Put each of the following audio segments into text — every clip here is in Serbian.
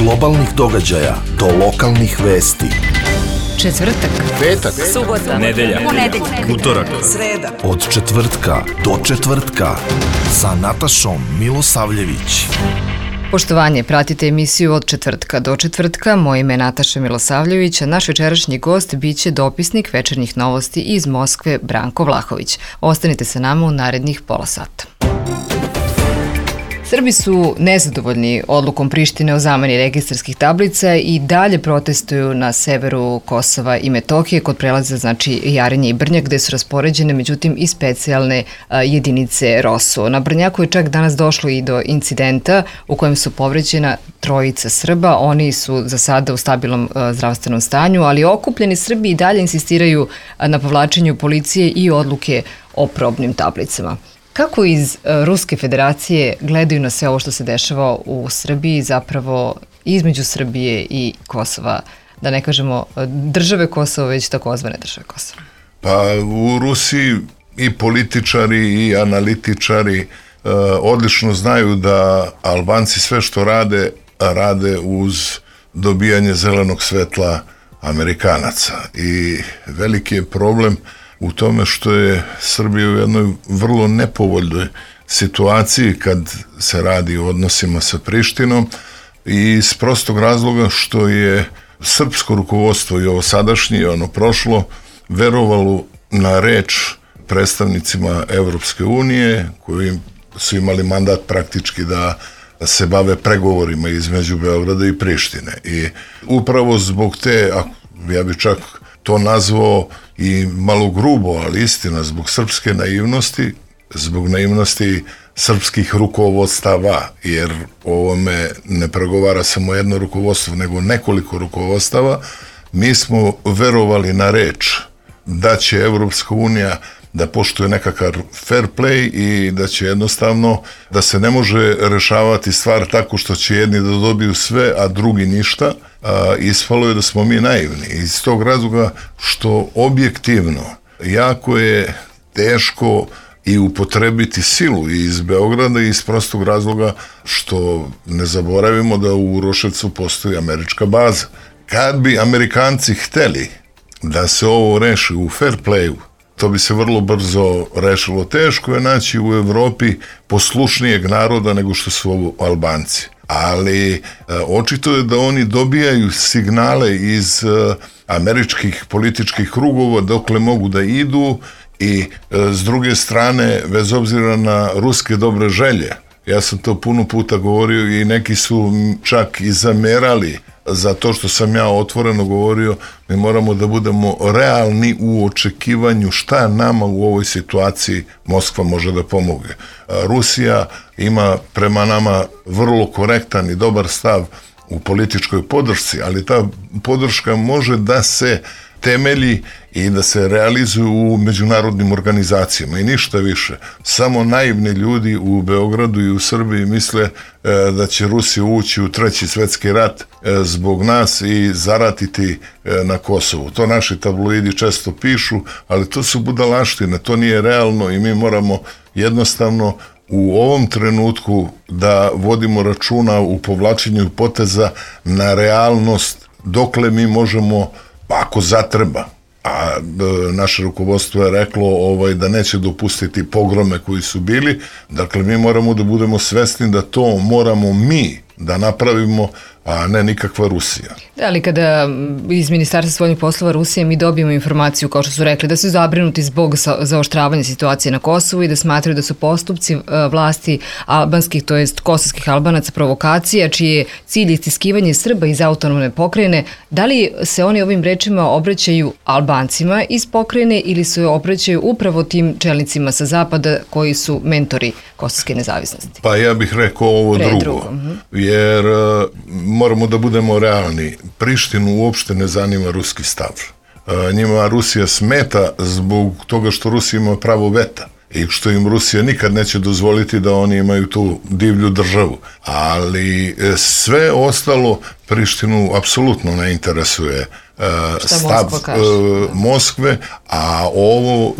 globalnih događaja do lokalnih vesti. Četvrtak, petak, subota, nedelja, utorak, sreda. Od četvrtka do četvrtka sa Natašom Milosavljević. Poštovanje, pratite emisiju Od četvrtka do četvrtka. Moje ime je Nataša Milosavljević, a naš večerašnji gost biće dopisnik večernjih novosti iz Moskve Branko Vlahović. Ostanite sa nama u narednih pola sata. Srbi su nezadovoljni odlukom Prištine o zameni registarskih tablica i dalje protestuju na severu Kosova i Metohije kod prelaza Jarinje i Brnjak, gde su raspoređene međutim i specijalne jedinice ROSU. Na Brnjaku je čak danas došlo i do incidenta u kojem su povređena trojica Srba. Oni su za sada u stabilnom zdravstvenom stanju, ali okupljeni Srbi i dalje insistiraju na povlačenju policije i odluke o probnim tablicama. Kako iz Ruske federacije gledaju na sve ovo što se dešava u Srbiji, zapravo između Srbije i Kosova, da ne kažemo države Kosova, već takozvane države Kosova? Pa u Rusiji i političari i analitičari odlično znaju da Albanci sve što rade uz dobijanje zelenog svetla Amerikanaca. I veliki je problem u tome što je Srbija u jednoj vrlo nepovoljnoj situaciji kad se radi o odnosima sa Prištinom i iz prostog razloga što je srpsko rukovodstvo i ovo sadašnje i ono prošlo verovalo na reč predstavnicima Evropske unije koji su imali mandat praktički da se bave pregovorima između Beograda i Prištine. I upravo zbog te, ja bih čak to nazvao i malo grubo, ali istina, zbog srpske naivnosti, zbog naivnosti srpskih rukovodstava, jer ovome ne pregovara samo jedno rukovodstvo, nego nekoliko rukovodstava, mi smo verovali na reč da će Evropska unija da poštuje nekakav fair play i da će jednostavno, da se ne može rešavati stvar tako što će jedni da dobiju sve, a drugi ništa. Ispalo je da smo mi naivni. Iz tog razloga što objektivno jako je teško i upotrebiti silu iz Beograda iz prostog razloga što ne zaboravimo da u Uroševcu postoji američka baza. Kad bi Amerikanci hteli da se ovo reši u fair playu, to bi se vrlo brzo rešilo. Teško je naći u Evropi poslušnijeg naroda nego što su ovo Albanci. Ali očito je da oni dobijaju signale iz američkih političkih krugova dokle mogu da idu i s druge strane, bez obzira na ruske dobre želje, ja sam to puno puta govorio i neki su čak i zamerali za to što sam ja otvoreno govorio, mi moramo da budemo realni u očekivanju šta nama u ovoj situaciji Moskva može da pomogne. Rusija ima prema nama vrlo korektan i dobar stav u političkoj podršci, ali ta podrška može da se temelji i da se realizuju u međunarodnim organizacijama i ništa više. Samo naivni ljudi u Beogradu i u Srbiji misle da će Rusija ući u Treći svetski rat zbog nas i zaratiti na Kosovu. To naši tabloidi često pišu, ali to su budalaštine, to nije realno i mi moramo jednostavno u ovom trenutku da vodimo računa u povlačenju poteza na realnost dokle mi možemo, ako zatreba, a naše rukovodstvo je reklo da neće dopustiti pogrome koji su bili, dakle mi moramo da budemo svesni da to moramo mi da napravimo, a ne nikakva Rusija. Da, ali kada iz Ministarstva spoljnih poslova Rusije mi dobijemo informaciju, kao što su rekli, da su zabrinuti zbog zaoštravanja situacije na Kosovu i da smatraju da su postupci vlasti albanskih, to jest kosovskih Albanaca, provokacija, čiji je cilj istiskivanje Srba iz autonomne pokrajine, da li se oni ovim rečima obraćaju Albancima iz pokrajine ili se obraćaju upravo tim čelnicima sa zapada koji su mentori kosovske nezavisnosti? Pa ja bih rekao ovo drugo. Jer moramo da budemo realni. Prištinu uopšte ne zanima ruski stav. Njima Rusija smeta zbog toga što Rusija ima pravo veta i što im Rusija nikad neće dozvoliti da oni imaju tu divlju državu. Ali sve ostalo Prištinu apsolutno ne interesuje stav Moskve, a ovo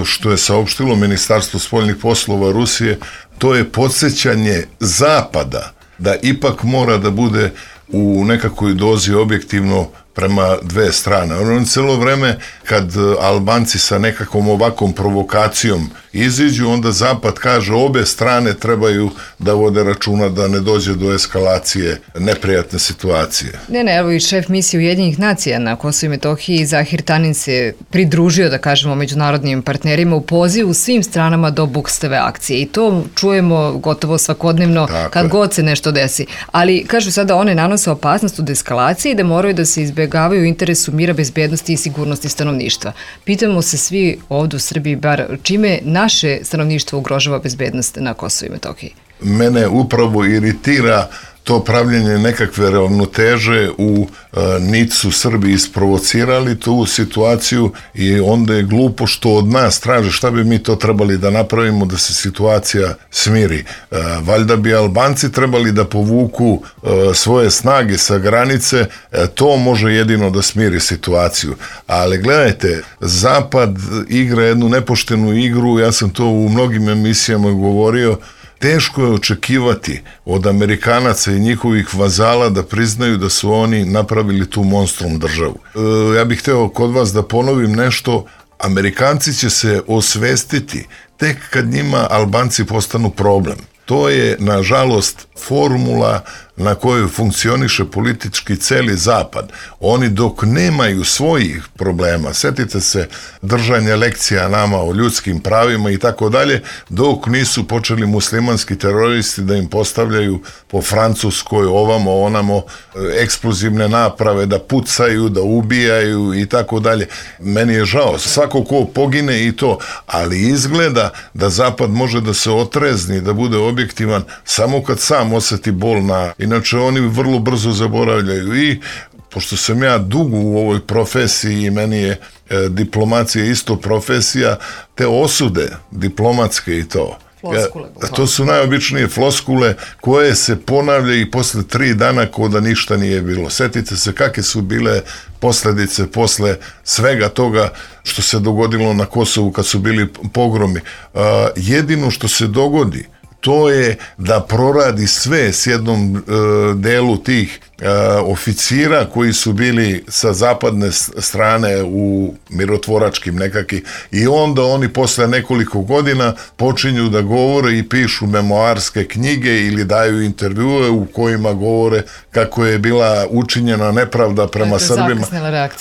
što je saopštilo Ministarstvo spoljnih poslova Rusije, to je podsjećanje Zapada da ipak mora da bude u nekakvoj dozi objektivno prema dve strane. Ono celo vreme kad Albanci sa nekakvom ovakvom provokacijom iziđu, onda Zapad kaže obe strane trebaju da vode računa da ne dođe do eskalacije neprijatne situacije. Ne, evo i šef misije Ujedinjenih nacija na Kosovu i Metohiji, Zahir Tanin, se pridružio, da kažemo, međunarodnim partnerima u pozivu svim stranama do bukstave akcije. I to čujemo gotovo svakodnevno kad god se nešto desi. Ali, kažu sada, one nanose opasnost od eskalacije i da moraju da se izbjegavaju u interesu mira, bezbednosti i sigurnosti stanovništva. Pitamo se svi ovdje u Srbiji, bar čime naše stanovništvo ugrožava bezbednost na Kosovu i Metohiji. Mene upravo iritira to pravljenje nekakve ravnoteže. U nit su Srbi isprovocirali tu situaciju i onda je glupo što od nas traže šta bi mi to trebali da napravimo da se situacija smiri. Valjda bi Albanci trebali da povuku svoje snage sa granice, to može jedino da smiri situaciju. Ali gledajte, Zapad igra jednu nepoštenu igru, ja sam to u mnogim emisijama govorio. Teško je očekivati od Amerikanaca i njihovih vazala da priznaju da su oni napravili tu monstrum državu. Ja bih hteo kod vas da ponovim nešto. Amerikanci će se osvestiti tek kad njima Albanci postanu problem. To je, nažalost, formula na kojoj funkcioniše politički celi Zapad. Oni dok nemaju svojih problema, setite se držanja lekcija nama o ljudskim pravima i tako dalje, dok nisu počeli muslimanski teroristi da im postavljaju po Francuskoj, ovamo, onamo, eksplozivne naprave, da pucaju, da ubijaju i tako dalje. Meni je žao, svako ko pogine i to, ali izgleda da Zapad može da se otrezni, da bude objektivan samo kad sam osjeti bol inače oni vrlo brzo zaboravljaju. I pošto sam ja dugo u ovoj profesiji i meni je diplomacija isto profesija, te osude diplomatske i to. To su najobičnije floskule koje se ponavljaju i posle 3 dana kao da ništa nije bilo. Setite se kakve su bile posljedice posle svega toga što se dogodilo na Kosovu kad su bili pogromi. Jedino što se dogodi to je da proradi sve s jednom delu tih oficira koji su bili sa zapadne strane u mirotvoračkim nekakvim i onda oni posle nekoliko godina počinju da govore i pišu memoarske knjige ili daju intervjue u kojima govore kako je bila učinjena nepravda prema Srbima.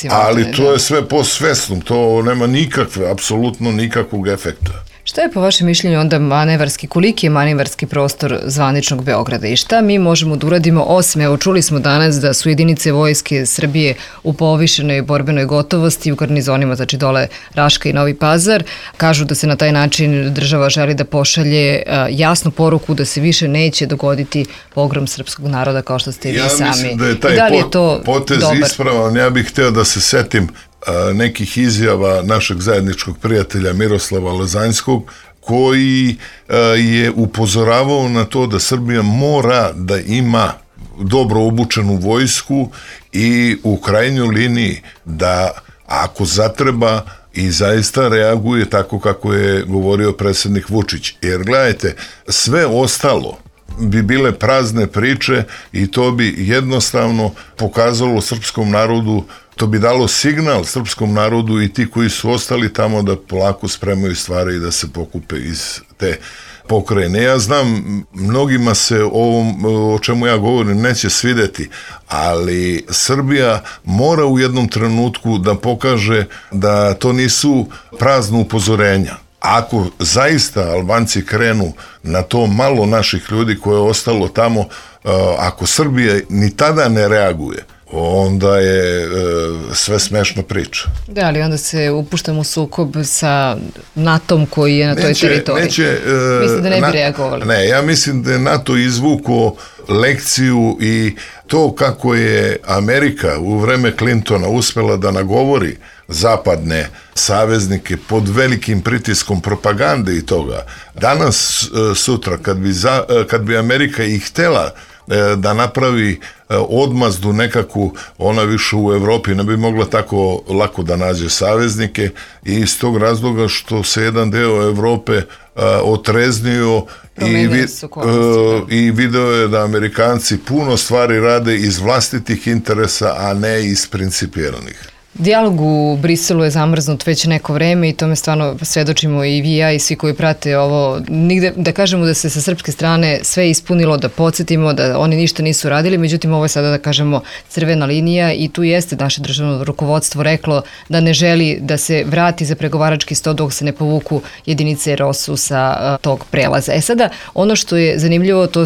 Ali to je sve posvesno, to nema nikakve, apsolutno nikakvog efekta. Šta je po vašem mišljenju onda manevarski, koliki je manevarski prostor zvaničnog Beograda i šta mi možemo da uradimo osim, evo čuli smo danas da su jedinice vojske Srbije u povišenoj borbenoj gotovosti u garnizonima, znači dole Raška i Novi Pazar, kažu da se na taj način država želi da pošalje jasnu poruku da se više neće dogoditi pogrom srpskog naroda kao što ste i vi sami. Ja mislim da je taj potez ispravan, ja bih hteo da se setim nekih izjava našeg zajedničkog prijatelja Miroslava Lazanjskog, koji je upozoravao na to da Srbija mora da ima dobro obučenu vojsku i u krajnjoj liniji da ako zatreba i zaista reaguje tako kako je govorio predsjednik Vučić. Jer gledajte, sve ostalo bi bile prazne priče i to bi jednostavno pokazalo srpskom narodu, to bi dalo signal srpskom narodu i ti koji su ostali tamo da polako spremaju stvari i da se pokupe iz te pokrajine. Ja znam, mnogima se ovom, o čemu ja govorim, neće svideti, ali Srbija mora u jednom trenutku da pokaže da to nisu prazna upozorenja. Ako zaista Albanci krenu na to malo naših ljudi koje je ostalo tamo, ako Srbija ni tada ne reaguje, onda je sve smešna priča. Da, ali onda se upuštamo u sukob sa NATO-om koji je na toj teritoriji. Mislim da ne bi reagovali. Ne, ja mislim da je NATO izvukao lekciju i to kako je Amerika u vreme Clintona uspela da nagovori zapadne saveznike pod velikim pritiskom propagande i toga. Danas, sutra, kad bi Amerika i htela da napravi odmazdu nekakvu, ona više u Evropi ne bi mogla tako lako da nađe saveznike i iz tog razloga što se jedan deo Evrope otreznio i video je da Amerikanci puno stvari rade iz vlastitih interesa, a ne iz principijelnih. Dijalog u Briselu je zamrznut već neko vreme i tome stvarno svedočimo i vi, ja i svi koji prate ovo. Nigde, da kažemo da se sa srpske strane sve ispunilo, da podsjetimo da oni ništa nisu radili, međutim ovo je sada, da kažemo, crvena linija i tu jeste naše državno rukovodstvo reklo da ne želi da se vrati za pregovarački sto dok se ne povuku jedinice ROSU sa tog prelaza. Sada, ono što je zanimljivo, to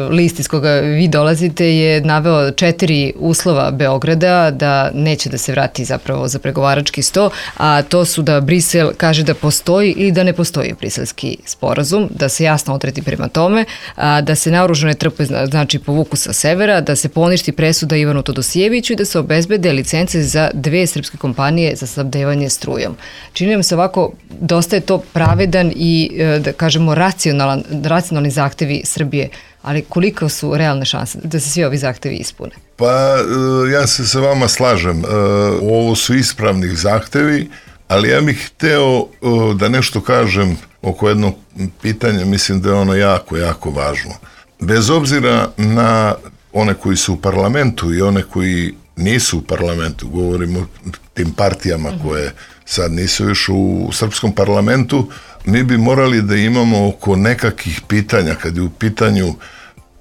list iz koga vi dolazite je naveo 4 uslova Beograda da neće da se vrati zapravo za pregovarački sto, a to su da Brisel kaže da postoji ili da ne postoji briselski sporazum, da se jasno odredi prema tome, da se naoružane trpe znači povuku sa severa, da se poništi presuda Ivanu Todosijeviću i da se obezbede licence za 2 srpske kompanije za snabdevanje strujom. Čini nam se ovako, dosta je to pravedan i, da kažemo, racionalni zahtevi Srbije. Ali koliko su realne šanse da se svi ovi zahtevi ispune? Pa ja se sa vama slažem. Ovo su ispravnih zahtevi, ali ja bih hteo da nešto kažem oko jednog pitanja, mislim da je ono jako, jako važno. Bez obzira na one koji su u parlamentu i one koji nisu u parlamentu, govorimo o tim partijama koje sad nisu još u srpskom parlamentu, mi bi morali da imamo oko nekakvih pitanja, kad je u pitanju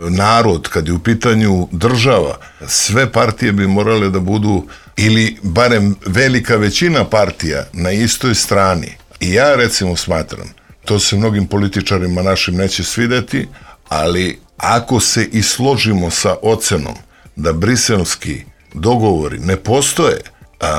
narod, kad je u pitanju država, sve partije bi morale da budu, ili barem velika većina partija, na istoj strani. I ja recimo smatram, to se mnogim političarima našim neće svideti, ali ako se i složimo sa ocenom da briselski dogovori ne postoje,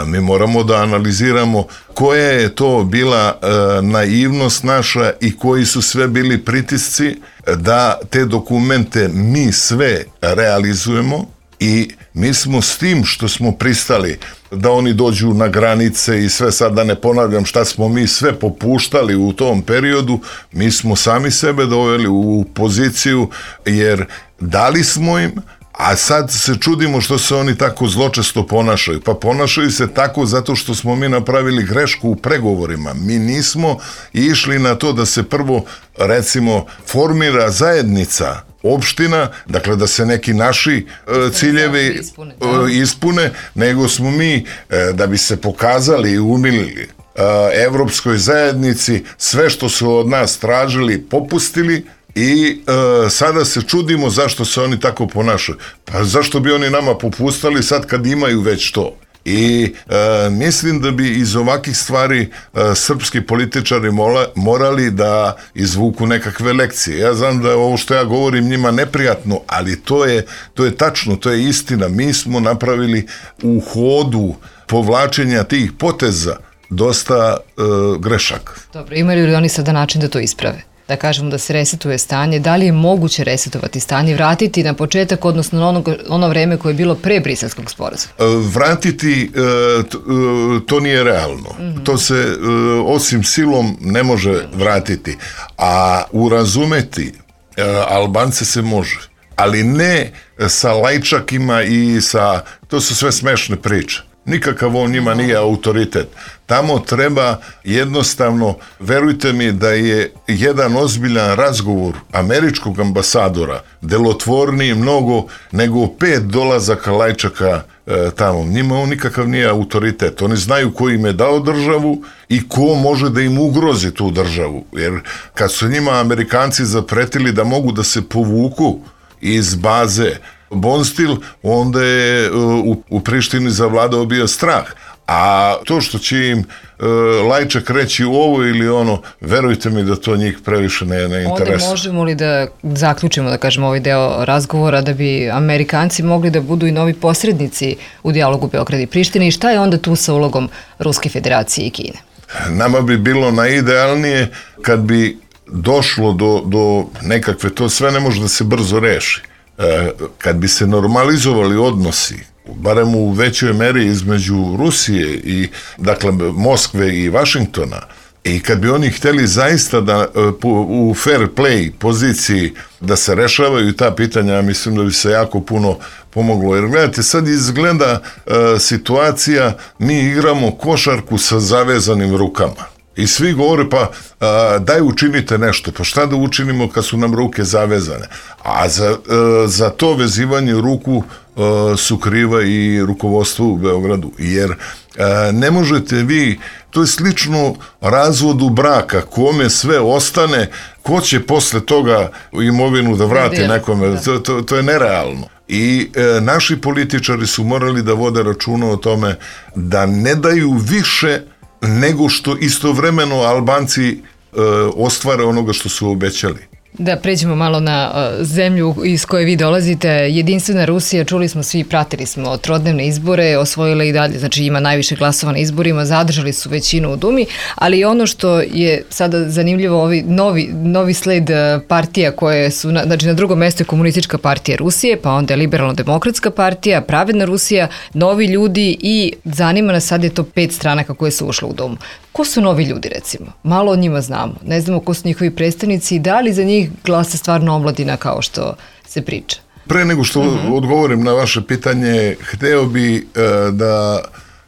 mi moramo da analiziramo koja je to bila naivnost naša i koji su sve bili pritisci da te dokumente mi sve realizujemo i mi smo s tim što smo pristali da oni dođu na granice i sve, sad da ne ponavljam šta smo mi sve popuštali u tom periodu, mi smo sami sebe doveli u poziciju jer dali smo im, a sad se čudimo što se oni tako zločesto ponašaju. Pa ponašaju se tako zato što smo mi napravili grešku u pregovorima. Mi nismo išli na to da se prvo, recimo, formira zajednica opština, dakle da se neki naši ciljevi ispune, nego smo mi, da bi se pokazali i umilili evropskoj zajednici, sve što su od nas tražili, popustili, i sada se čudimo zašto se oni tako ponašaju. Pa zašto bi oni nama popustali sad kad imaju već to? I mislim da bi iz ovakvih stvari srpski političari morali da izvuku nekakve lekcije. Ja znam da ovo što ja govorim njima neprijatno, ali to je tačno, to je istina. Mi smo napravili u hodu povlačenja tih poteza dosta grešaka. Dobro, imaju li oni sada način da to isprave? Da kažemo da se resetuje stanje, da li je moguće resetovati stanje, vratiti na početak, odnosno na ono vreme koje je bilo pre briselskog sporazuma? Vratiti, to nije realno. To se osim silom ne može vratiti. A urazumeti Albance se može, ali ne sa lajčakima i sa, to su sve smešne priče. Nikakav on njima nije autoritet. Tamo treba jednostavno, verujte mi da je jedan ozbiljan razgovor američkog ambasadora delotvorniji mnogo nego 5 dolazaka lajčaka tamo. Njima on nikakav nije autoritet. Oni znaju ko im je dao državu i ko može da im ugrozi tu državu. Jer kad su njima Amerikanci zapretili da mogu da se povuku iz baze Bonstil, onda je u Prištini zavladao bio strah. A to što će im lajčak reći ovo ili ono, verujte mi da to njih previše ne interesuje. Onda možemo li da zaključimo, da kažemo, ovaj deo razgovora da bi Amerikanci mogli da budu i novi posrednici u dijalogu Beograda i Prištine i šta je onda tu sa ulogom Ruske federacije i Kine? Nama bi bilo najidealnije kad bi došlo do nekakve, to sve ne može da se brzo reši. Kad bi se normalizovali odnosi, barem u većoj meri između Rusije i, dakle, Moskve i Vašingtona, I kad bi oni htjeli zaista da u fair play poziciji da se rešavaju ta pitanja, mislim da bi se jako puno pomoglo. Jer gledajte, sad izgleda situacija, mi igramo košarku sa zavezanim rukama. I svi govore, pa daj učinite nešto. Pa šta da učinimo kad su nam ruke zavezane? A za to vezivanje ruku su kriva i rukovodstvo u Beogradu. Jer ne možete vi, to je slično razvodu braka, kome sve ostane, ko će posle toga imovinu da vrati nekome, to je nerealno. I naši političari su morali da vode računa o tome da ne daju više nego što istovremeno Albanci ostvare onoga što su obećali. Da pređemo malo na zemlju iz koje vi dolazite. Jedinstvena Rusija, čuli smo svi, pratili smo trodnevne izbore, osvojila i dalje, znači ima najviše glasova na izborima, zadržali su većinu u Dumi, ali ono što je sada zanimljivo, ovi novi sled partija koje su, znači na drugom mjestu je Komunistička partija Rusije, pa onda je Liberalno-demokratska partija, Pravedna Rusija, Novi ljudi i zanima nas, sad je to 5 stranaka koje su ušle u Dumu. Ko su novi ljudi, recimo? Malo o njima znamo. Ne znamo ko su njihovi predstavnici i da li za njih glasa stvarno omladina kao što se priča. Pre nego što odgovorim na vaše pitanje, hteo bi da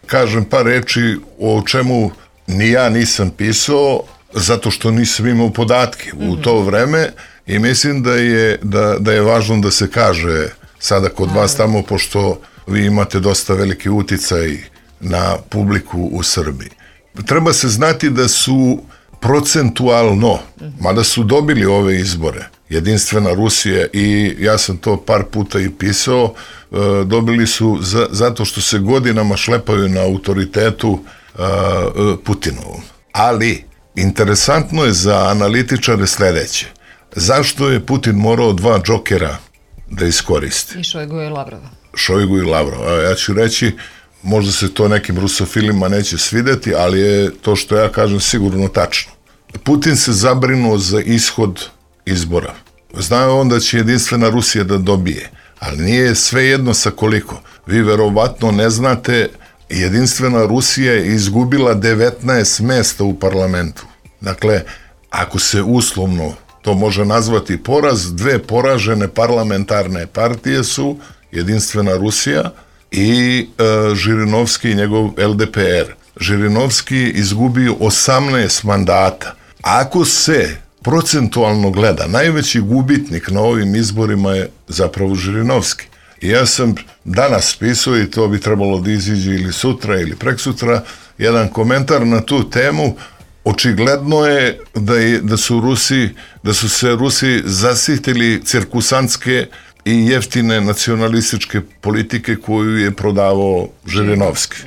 kažem par reči o čemu ni ja nisam pisao, zato što nisam imao podatke u to vreme i mislim da je važno da se kaže sada kod vas tamo, pošto vi imate dosta veliki uticaj na publiku u Srbiji. Treba se znati da su procentualno, mada su dobili ove izbore, Jedinstvena Rusija, i ja sam to par puta i pisao, dobili su zato što se godinama šlepaju na autoritetu Putinovom. Ali interesantno je za analitičare sledeće. Zašto je Putin morao 2 džokera da iskoristi? I Šojgu i Lavrova. Šojgu i Lavrova. Ja ću reći, možda se to nekim rusofilima neće svideti, ali je to što ja kažem sigurno tačno. Putin se zabrinuo za ishod izbora. Znao on da će Jedinstvena Rusija da dobije, ali nije svejedno sa koliko. Vi verovatno ne znate, Jedinstvena Rusija je izgubila 19 mesta u parlamentu. Dakle, ako se uslovno to može nazvati poraz, 2 poražene parlamentarne partije su Jedinstvena Rusija i Žirinovski i njegov LDPR. Žirinovski izgubio 18 mandata. Ako se procentualno gleda, najveći gubitnik na ovim izborima je zapravo Žirinovski. I ja sam danas pisao, i to bi trebalo da iziđe ili sutra ili preksutra, jedan komentar na tu temu. Očigledno je da su se Rusi zasitili cirkusantske i jeftine nacionalističke politike koju je prodavao Žirinovski.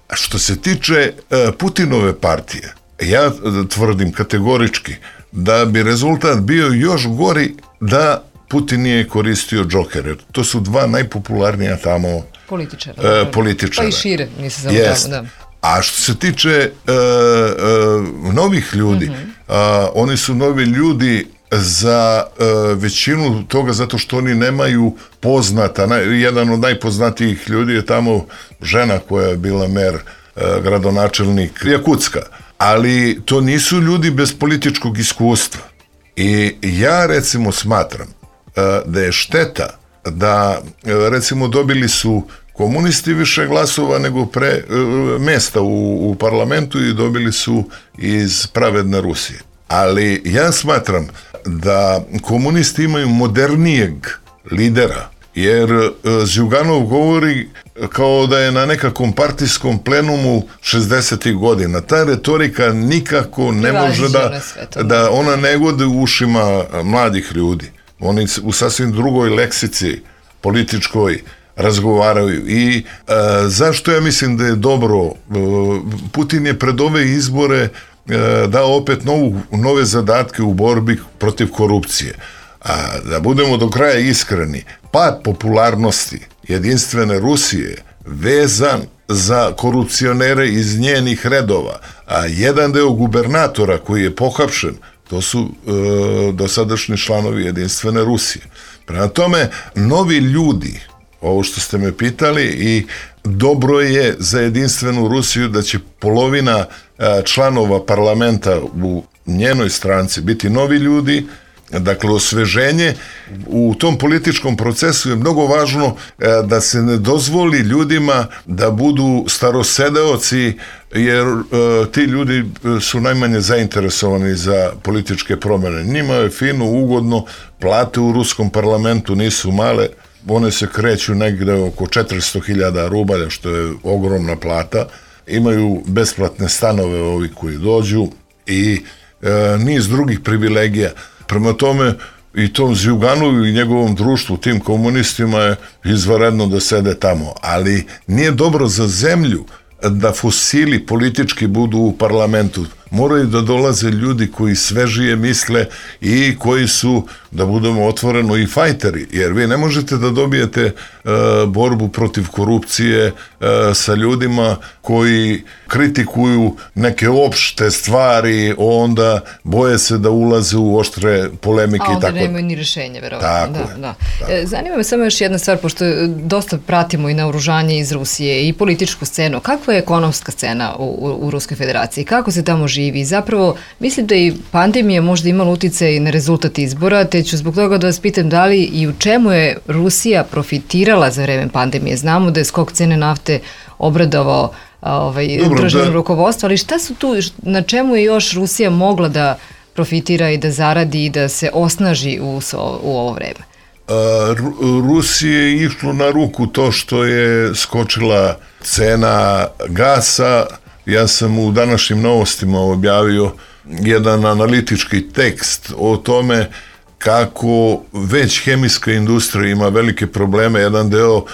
A što se tiče Putinove partije, ja tvrdim kategorički da bi rezultat bio još gori da Putin nije koristio džokere. To su 2 najpopularnija tamo političara. Pa i šire, nisi samo tamo, da. A što se tiče novih ljudi, oni su novi ljudi za većinu toga zato što oni nemaju poznata. Jedan od najpoznatijih ljudi je tamo žena koja je bila mer, gradonačelnik Jakutska. Ali to nisu ljudi bez političkog iskustva. I ja recimo smatram da je šteta da recimo dobili su komunisti više glasova nego mesta u parlamentu i dobili su iz Pravedne Rusije. Ali ja smatram da komunisti imaju modernijeg lidera, jer Zjuganov govori kao da je na nekakvom partijskom plenumu 60. godina. Ta retorika nikako ne može da ona ne gode u ušima mladih ljudi. Oni u sasvim drugoj leksici političkoj razgovaraju. I zašto ja mislim da je dobro? Putin je pred ove izbore dao opet nove zadatke u borbi protiv korupcije. A da budemo do kraja iskreni, pad popularnosti Jedinstvene Rusije vezan za korupcionere iz njenih redova, a jedan deo gubernatora koji je pohapšen, to su dosadašnji članovi Jedinstvene Rusije. Prema tome, novi ljudi, ovo što ste me pitali, i dobro je za jedinstvenu Rusiju da će polovina članova parlamenta u njenoj stranci biti novi ljudi. Dakle, osveženje u tom političkom procesu je mnogo važno da se ne dozvoli ljudima da budu starosedeoci, jer ti ljudi su najmanje zainteresovani za političke promjene. Njima je fino, ugodno, plate u ruskom parlamentu nisu male, one se kreću negde oko 400.000 rubalja, što je ogromna plata. Imaju besplatne stanove ovi koji dođu i niz drugih privilegija. Prema tome, i tom Zjuganu i njegovom društvu, tim komunistima, je izvanredno da sede tamo. Ali nije dobro za zemlju da fosili politički budu u parlamentu. Moraju da dolaze ljudi koji svežije misle i koji su, da budemo otvoreno, i fajteri. Jer vi ne možete da dobijete borbu protiv korupcije sa ljudima koji kritikuju neke opšte stvari, onda boje se da ulaze u oštre polemike. A onda nemaju ni rešenje, verovatno. Tako. Zanima me samo još jedna stvar, pošto dosta pratimo i naoružanje iz Rusije i političku scenu. Kakva je ekonomska scena u Ruskoj federaciji? Kako se tamo živi? Zapravo, mislim da i pandemija možda imala uticaj na rezultat izbora, te ću zbog toga da vas pitam da li i u čemu je Rusija profitirala za vreme pandemije. Znamo da je skok cene nafte obradovao državno rukovodstvo, ali šta su tu, na čemu je još Rusija mogla da profitira i da zaradi i da se osnaži u ovo vreme? Rusiji je išlo na ruku to što je skočila cena gasa. Ja sam u današnjim novostima objavio jedan analitički tekst o tome kako već hemijska industrija ima velike probleme. Jedan deo,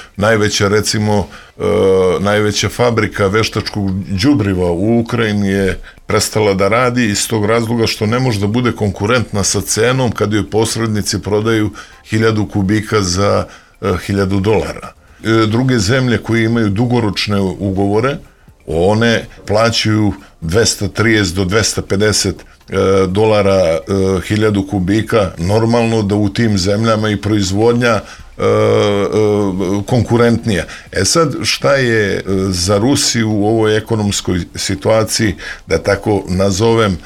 najveća fabrika veštačkog đubriva u Ukrajini je prestala da radi iz tog razloga što ne može da bude konkurentna sa cenom kad joj posrednici prodaju 1000 kubika za $1000. Druge zemlje koje imaju dugoročne ugovore, one plaćaju 230 do 250 dolara 1000 kubika. Normalno da u tim zemljama i proizvodnja konkurentnija. Sad, šta je za Rusiju u ovoj ekonomskoj situaciji, da tako nazovem,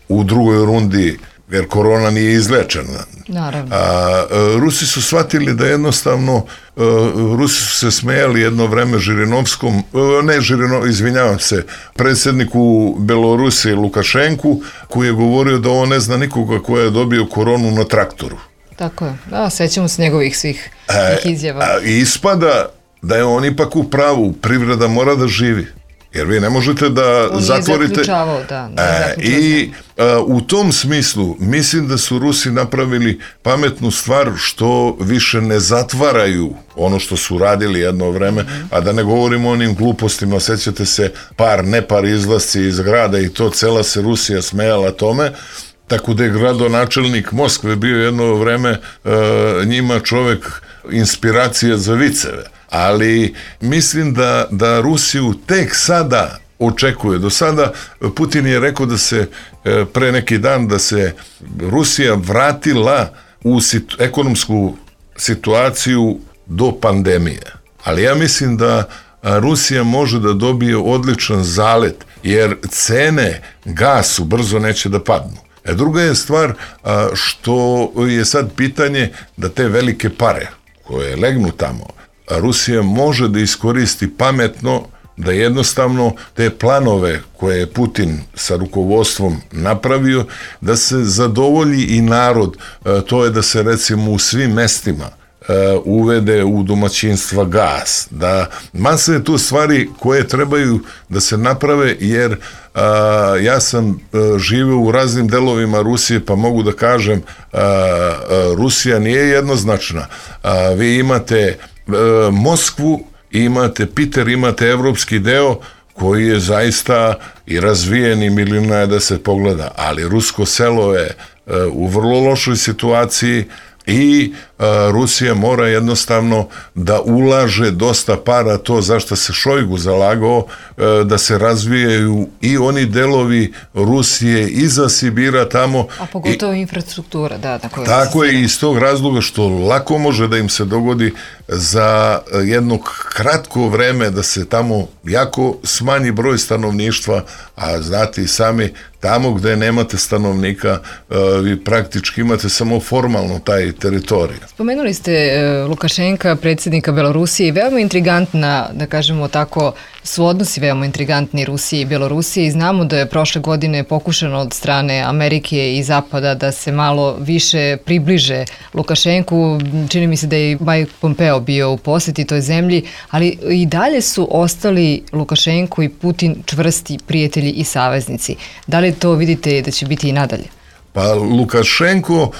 u drugoj rundi, jer korona nije izlečena. Naravno. Rusi su shvatili da jednostavno, Rusi su se smejali jedno vreme Žirinovskom, predsjedniku Belorusije Lukašenku, koji je govorio da on ne zna nikoga ko je dobio koronu na traktoru. Tako je. Sećamo se njegovih svih izjava. I ispada da je on ipak u pravu, privreda mora da živi. Jer vi ne možete da zatvorite... I u tom smislu mislim da su Rusi napravili pametnu stvar što više ne zatvaraju ono što su radili jedno vreme, a da ne govorimo o onim glupostima, sećate se nepar izlasci iz grada i to, cela se Rusija smejala tome, tako da je gradonačelnik Moskve bio jedno vreme njima čovek inspiracija za viceve. Ali mislim da Rusiju tek sada očekuje. Do sada Putin je rekao da se pre neki dan da se Rusija vratila u ekonomsku situaciju do pandemije. Ali ja mislim da Rusija može da dobije odličan zalet, jer cene gasu brzo neće da padnu. Druga je stvar što je sad pitanje da te velike pare koje legnu tamo, Rusija može da iskoristi pametno, da jednostavno te planove koje je Putin sa rukovodstvom napravio, da se zadovolji i narod. To je da se recimo u svim mestima uvede u domaćinstva gas. Masa je tu stvari koje trebaju da se naprave, jer ja sam živeo u raznim delovima Rusije, pa mogu da kažem Rusija nije jednoznačna. Vi imate Moskvu, imate Piter, imate evropski deo koji je zaista i razvijen i milina je da se pogleda, ali rusko selo je u vrlo lošoj situaciji i Rusija mora jednostavno da ulaže dosta para, to za što se Šojgu zalagao, da se razvijaju i oni delovi Rusije iza Sibira tamo. A pogotovo infrastruktura, da. Tako je, iz tog razloga što lako može da im se dogodi za jedno kratko vreme da se tamo jako smanji broj stanovništva, a znate i sami, tamo gde nemate stanovnika, vi praktički imate samo formalno taj teritorij. Spomenuli ste Lukašenka, predsjednika Belorusije, veoma intrigantna, da kažemo tako, su odnosi veoma intrigantni Rusije i Belorusije i znamo da je prošle godine pokušano od strane Amerike i Zapada da se malo više približe Lukašenku. Čini mi se da je Mike Pompeo bio u poseti toj zemlji, ali i dalje su ostali Lukašenko i Putin čvrsti prijatelji i saveznici. Da li to vidite da će biti i nadalje? Pa Lukašenko,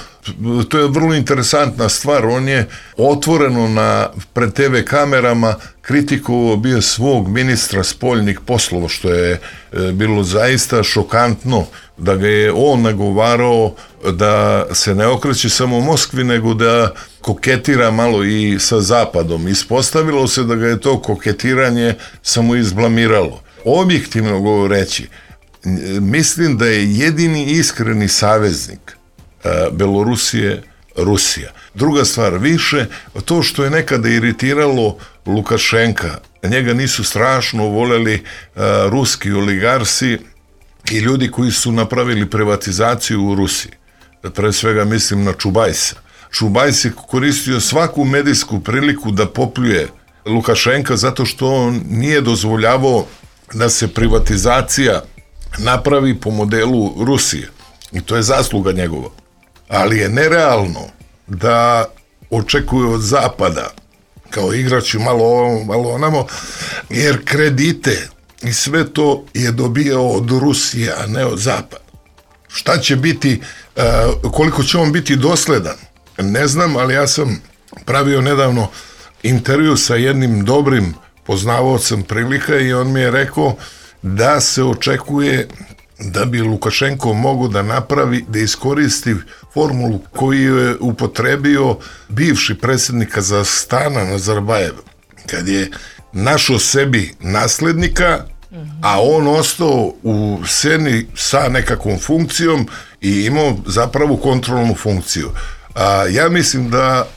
to je vrlo interesantna stvar, on je otvoreno pred TV kamerama kritikovao bio svog ministra spoljnih poslova, što je bilo zaista šokantno, da ga je on nagovarao da se ne okreće samo Moskvi, nego da koketira malo i sa Zapadom. Ispostavilo se da ga je to koketiranje samo izblamiralo. Objektivno govoreći, mislim da je jedini iskreni saveznik Belorusije Rusija. Druga stvar, više to što je nekada iritiralo Lukašenka, njega nisu strašno voljeli ruski oligarsi i ljudi koji su napravili privatizaciju u Rusiji. Pre svega mislim na Čubajsa. Čubajs je koristio svaku medijsku priliku da popljuje Lukašenka zato što on nije dozvoljavao da se privatizacija napravi po modelu Rusije. I to je zasluga njegova. Ali je nerealno da očekuje od Zapada, kao igrači malo ovamo, malo onamo, jer kredite i sve to je dobijao od Rusije, a ne od Zapada. Šta će biti, koliko će on biti dosledan? Ne znam, ali ja sam pravio nedavno intervju sa jednim dobrim poznavaocem prilika i on mi je rekao da se očekuje da bi Lukašenko mogao da napravi, da iskoristi formulu koju je upotrebio bivši predsjednik Kazahstana Nazarbajev, kad je našao sebi naslednika, a on ostao u sceni sa nekakvom funkcijom i imao zapravo kontrolnu funkciju. Ja mislim da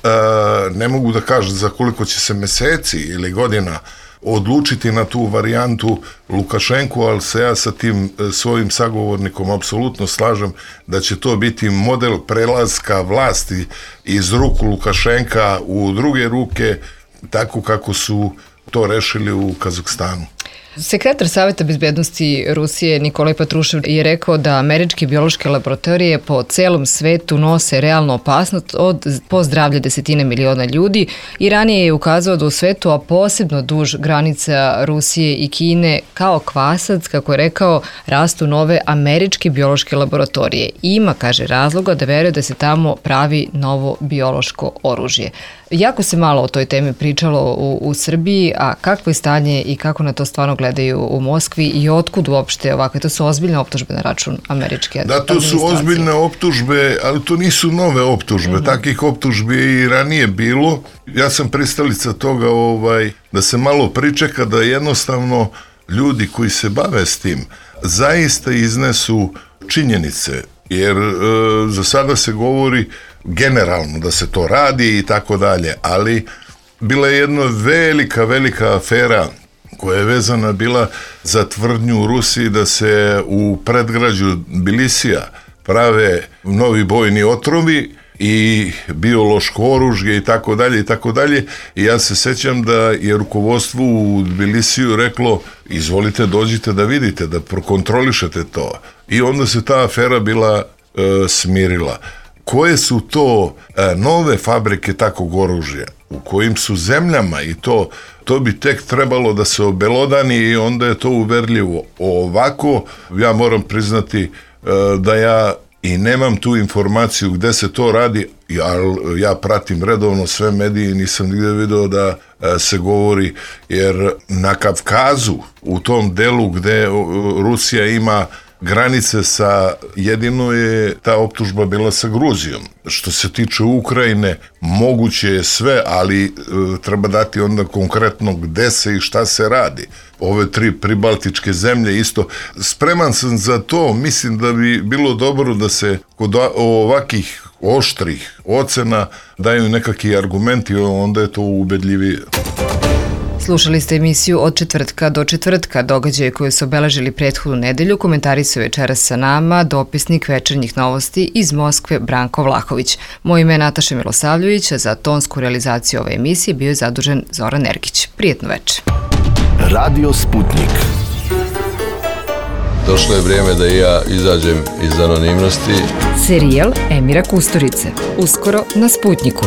ne mogu da kažem za koliko će se meseci ili godina odlučiti na tu varijantu Lukašenko, ali se ja sa tim svojim sagovornikom apsolutno slažem da će to biti model prelaska vlasti iz ruku Lukašenka u druge ruke, tako kako su to rešili u Kazahstanu. Sekretar Saveta bezbednosti Rusije Nikolaj Patrušev je rekao da američke biološke laboratorije po celom svetu nose realnu opasnost po zdravlje desetine miliona ljudi i ranije je ukazao da u svetu, a posebno duž granica Rusije i Kine, kao kvasac, kako je rekao, rastu nove američke biološke laboratorije. Ima, kaže, razloga da veruje da se tamo pravi novo biološko oružje. Jako se malo o toj temi pričalo u Srbiji, a kakvo je stanje i kako na to stvarno gledaju u Moskvi i otkud uopšte ovakve? To su ozbiljne optužbe na račun američke administracije. Da, to su ozbiljne optužbe, ali to nisu nove optužbe. Takih optužbi i ranije bilo. Ja sam pristalica toga da se malo pričeka, da jednostavno ljudi koji se bave s tim zaista iznesu činjenice, jer za sada se govori generalno da se to radi i tako dalje, ali bila je jedna velika afera koja je vezana bila za tvrdnju u Rusiji da se u predgrađu Bilisija prave novi bojni otrovi i biološko oružje i tako dalje. I ja se sećam da je rukovodstvo u Tbilisiju reklo: izvolite, dođite da vidite, da prokontrolišete to. I onda se ta afera bila smirila. Koje su to nove fabrike takvog oružja, u kojim su zemljama, i to bi tek trebalo da se obelodani i onda je to uverljivo. Ovako, ja moram priznati da ja i nemam tu informaciju gde se to radi, ali ja pratim redovno sve medije i nisam nigde video da se govori, jer na Kavkazu, u tom delu gde Rusija ima granice jedino je ta optužba bila sa Gruzijom. Što se tiče Ukrajine, moguće je sve, ali treba dati onda konkretno gde se i šta se radi. Ove 3 pribaltičke zemlje isto. Spreman sam za to, mislim da bi bilo dobro da se kod ovakih oštrih ocena daju nekakvi argumenti, onda je to ubedljivije. Slušali ste emisiju Od četvrtka do četvrtka, događaje koje su obeležili prethodnu nedelju, komentarisao večeras sa nama dopisnik Večernjih novosti iz Moskve Branko Vlahović. Moje ime je Nataša Milosavljević, a za tonsku realizaciju ove emisije bio je zadužen Zoran Ergić. Prijetno večer. Radio Sputnik. Došlo je vrijeme da i ja izađem iz anonimnosti. Serijal Emira Kusturice. Uskoro na Sputniku.